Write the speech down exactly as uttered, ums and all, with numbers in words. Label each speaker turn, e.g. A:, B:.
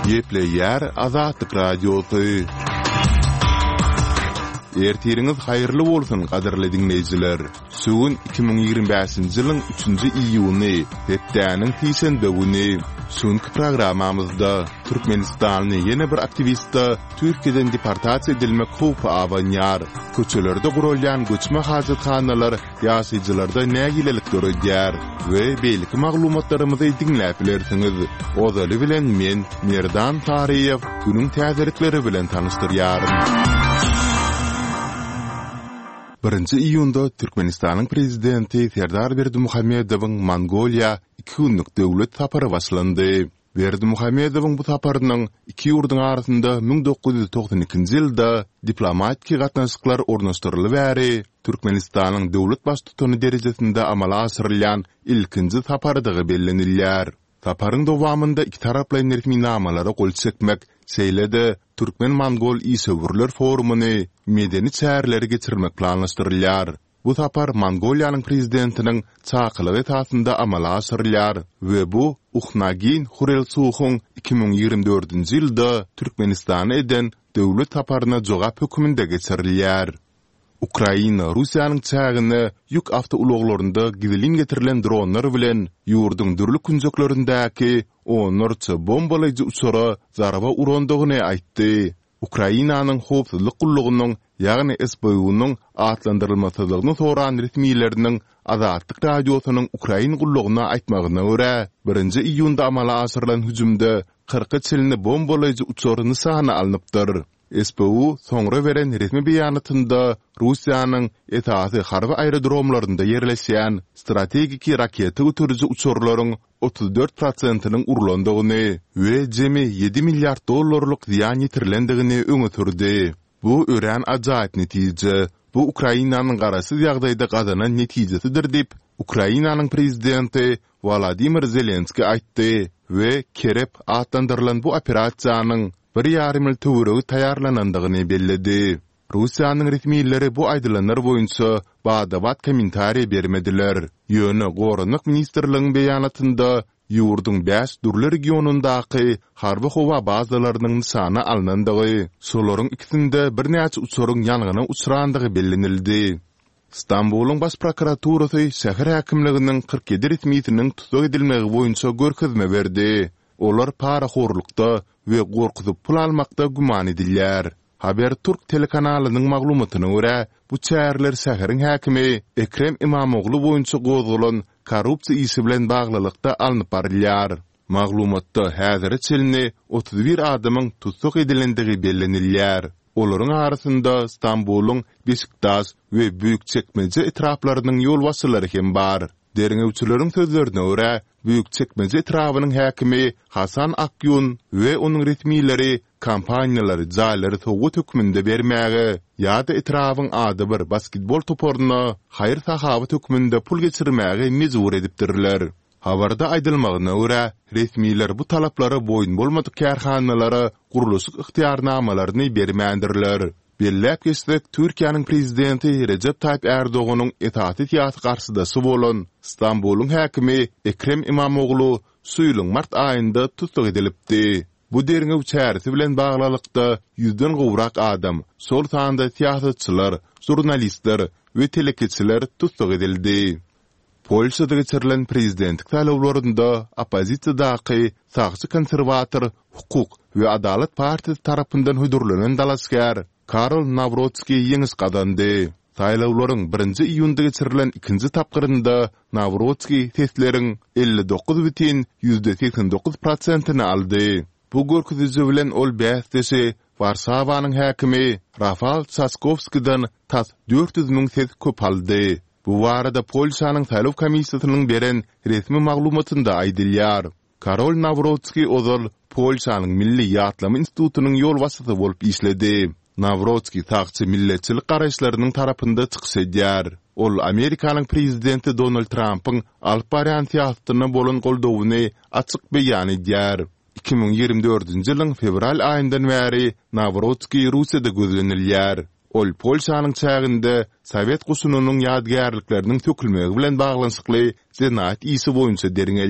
A: Gepleýär Azatlyk Radiosy. Ertiriňiz haýyrly bolsun, gadyrly diňleýjiler! Şu gün iki müň ýigrimi bäşinji ýylyň üçünji iýuny, hepdäniň sişenbe güni. Şu günki programmamyzda türkmenistanly ýene bir aktiwiste Türkiýeden deportasiýa edilmek howpy abanýar. Köçelerde guralýan göçme hajathanalar ýaşaýjylarda nägilelik döredýär we beýleki maglumatlarymyzy diňläp bilersiňiz. Ozaly bilen men, Merdan Saryýew, günüň täzelikleri bilen tanyşdyrýaryn. Birinji iýunda Türkmenistanyň Prezidenti Serdar Berdimuhamedowyň Mongoliýa iki günlük döwlet sapary başlandy. Berdimuhamedowyň bu saparynyň iki ýurduň arasynda müň dokuz ýüz togsan ikinji ýylda diplomatiki gatnaşyklar ornaşdyryly bäri Türkmenistanyň döwlet Baştutany derejesinde amala aşyrylýan ilkinji saparydygy bellenilýär. Saparyň dowamynda ikitaraplaýyn resminamalara gol çekmek, şeýle-de türkmen-mongol işewürler forumyny, medeni çäreleri geçirmek planlaşdyrylýar. Bu sapar Mongoliýanyň Prezidentiniň çakylygy esasynda amala aşyrylýar we bu Uhnaagiýn Hurelsuhyň iki müň ýigrimi dördünji ýylda Türkmenistana eden döwlet saparyna jogap hökmünde geçirilýär. Ukraina Russiýanyň çägine ýük awtoulaglarynda gizlin getirilen dronlar bilen ýurduň dürli künjeklerindäki onlarça bombalaýjy uçara zarba urandygyny aýtdy. Ukrainanyň Howpsuzlyk gullugynyň, ýagny SBU-nyň atlandyrylmasyzlygyny soran resmileriniň Azatlyk Radiosynyň Ukrain gullugyna aýtmagyna görä, birinji iýunda amala aşyrylan hüjümde kyrka çenli bombalaýjy uçar nyşana alnypdyr. SBU soňra beren resmi beýanatynda Russiýanyň esasy harby aerodromlarynda ýerleşýän strategiki raketa göteriji uçarlaryň otuz dört prosentiniň urlandygyny we jemi ýedi milliard dollarlyk zyýan ýetirilendigini öňe sürdi. Bu örän ajaýyp netije. Bu Ukrainanyň garaşsyz ýagdaýda gazanan netijesidir diýip, Ukrainanyň prezidenti Wolodymyr Zelenskiý aýtdy we Kerep atlandyrylan bu operasiýanyň bir ýarym ýyl töweregi taýýarlanandygyny belledi. Russiýanyň resmileri bu aýdylanlar boýunça bada-bat kommentariý bermediler. Ýöne Goranmak ministrligiň beýanatynda ýurduň bäş dürli regionyndaky harby-howa bazalarynyň nyşana alnandygy, şolaryň ikisinde birnäçe uçaryň ýangyna uçrandygy bellenildi. Stambulyň Baş prokuraturasy şäher häkimliginiň kyrk ýedi resmisiniň tussag edilmegi boýunça görkezme berdi. Olar parahorlukda we gorkuzyp pul almakda güman edilýär. Haberturk telekanalynyň maglumatyna görä, bu çäreler şäheriň häkimi Ekrem Imamoglu boýunça gozgalan korrupsiýa işi bilen baglylykda alnyp barylýar. Maglumatda häzire çenli otuz bir adamyň tussag edilendigi bellenilýär. Olaryň arasynda Stambulyň Beşiktaş we Büýükçekmeje etraplarynyň ýolbaşçylary hem bar. Derňewçileriň sözlerine görä, Büýükçekmeje etrabynyň häkimi Hasan Akýun we onuň resmileri kompaniýalary jaýlary sowgat hökmünde bermäge ýa-da etrabyň adybir basketbol toparyna haýyr-sahawat hökmünde pul geçirmäge mejbur edipdirler. Habarda aýdylmagyna görä, resmiler bu talaplara boýun bolmadyk kärhanalara gurluşyk ygtyýarnamalaryny bermändirler. Belläp geçsek, Türkiýäniň prezidenti Rejep Taýyp Ärdoganyň esasy syýasy garşydaşy bolan Stambulyň häkimi Ekrem Imamoglu şu ýylyň mart aýynda tussag edilipdi. Bu derňew çäresi bilen baglylykda ýüzden gowrak adam, şol sanda syýasatçylar, žurnalistler we telekeçiler tussag edildi. Polşada geçirilen prezidentlik saýlawlarynda oppozisiýadaky sagçy konserwator Hukuk we adalat partiýasy tarapyndan hödürlenen dalaşgär Karol Nawrotskiý ýeňiş gazandy. Saýlawlaryň birinji iýunda geçirilen ikinji tapgyrynda Nawrotskiý sesleriň elli dokuz bütin ýüzde segsen dokuz prosentini aldy. Bu görkeziji bilen ol bäsdeşi Warşawanyň häkimi Rafal Çaskowskiden tas dört ýüz müň ses köp aldy. Bu barada Polşanyň saýlaw komissiýasynyň beren resmi maglumatynda aýdylýar. Karol Nawrotskiý ozal Polşanyň Milli ýatlama institutynyň ýolbaşçysy bolup işledi. Nawrotskiý sagçy milletçilik garaýyşlarynyň tarapynda çykyş edýär. Ol Amerikanyň prezidenti Donald Trampyň alyp barýan syýasatyna bolan goldawyny açyk beýan edýär. Iki müň ýigrimi dördünji ýylyň fewral aýyndan bäri Nawrotskiý Russiýada gözlenilýär. Ol Polşanyň çäginde sowet goşunynyň ýadygärlikleriniň sökülmegi bilen baglanyşykly jenaýat işi boýunça derňelýär.